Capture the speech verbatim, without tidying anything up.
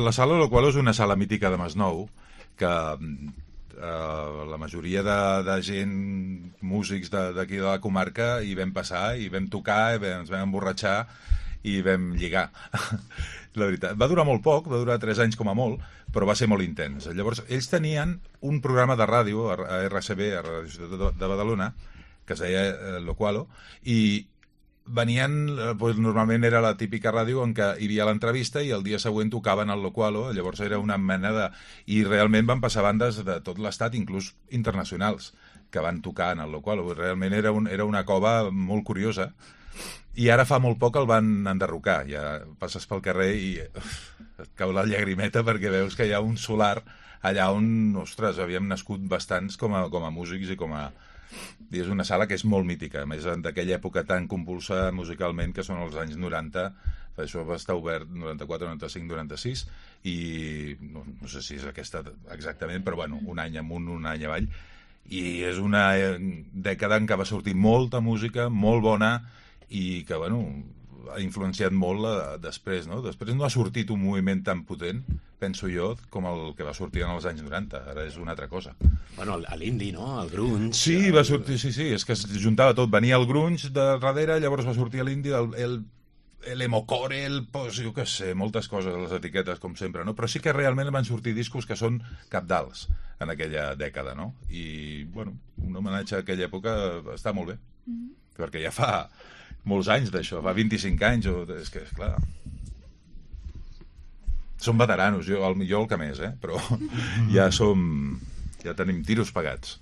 La sala Locualo és una sala mítica de Masnou, que eh, la majoria de, de gent, músics d'aquí de, de la comarca, hi vam passar, hi vam tocar, i vam, ens vam emborratxar i vam lligar. La veritat, va durar molt poc, va durar tres anys com a molt, però va ser molt intens. Llavors, ells tenien un programa de ràdio a R C B, a Ràdio Ciutat de Badalona, que es deia eh, Locualo, i venien, doncs, normalment era la típica ràdio en què hi havia l'entrevista i el dia següent tocaven al Locualo, llavors era una mena de... I realment van passar bandes de tot l'estat, inclús internacionals, que van tocar en el Locualo. Realment era, un, era una cova molt curiosa. I ara fa molt poc el van enderrocar. Ja passes pel carrer i uf, et cau la llagrimeta perquè veus que hi ha un solar allà on, ostres, havíem nascut bastants com a, com a músics i com a... I és una sala que és molt mítica, a més d'aquella època tan compulsa musicalment que són els anys noranta, això va estar obert noranta-quatre, noranta-cinc, noranta-sis i no, no sé si és aquesta exactament, però bueno, un any amunt, un any avall, i és una dècada en què va sortir molta música, molt bona, i que, bueno, ha influenciat molt la, després, no? Després no ha sortit un moviment tan potent, penso jo, com el que va sortir en els anys noranta. Ara és una altra cosa. Bueno, l'indie, no? El grunge... Sí, el... va sortir, sí, sí, és que es juntava tot. Venia el grunge de darrere, llavors va sortir l'indie, el, el, l'emocore, el, pues, jo què sé, moltes coses, les etiquetes, com sempre, no? Però sí que realment van sortir discos que són cabdals en aquella dècada, no? I, bueno, un homenatge a aquella època està molt bé, mm-hmm. perquè ja fa molts anys d'això, fa vint-i-cinc anys, o, és que, és clar... Som veteranos, jo el, jo el que més, eh? Però ja som... ja tenim tiros pagats.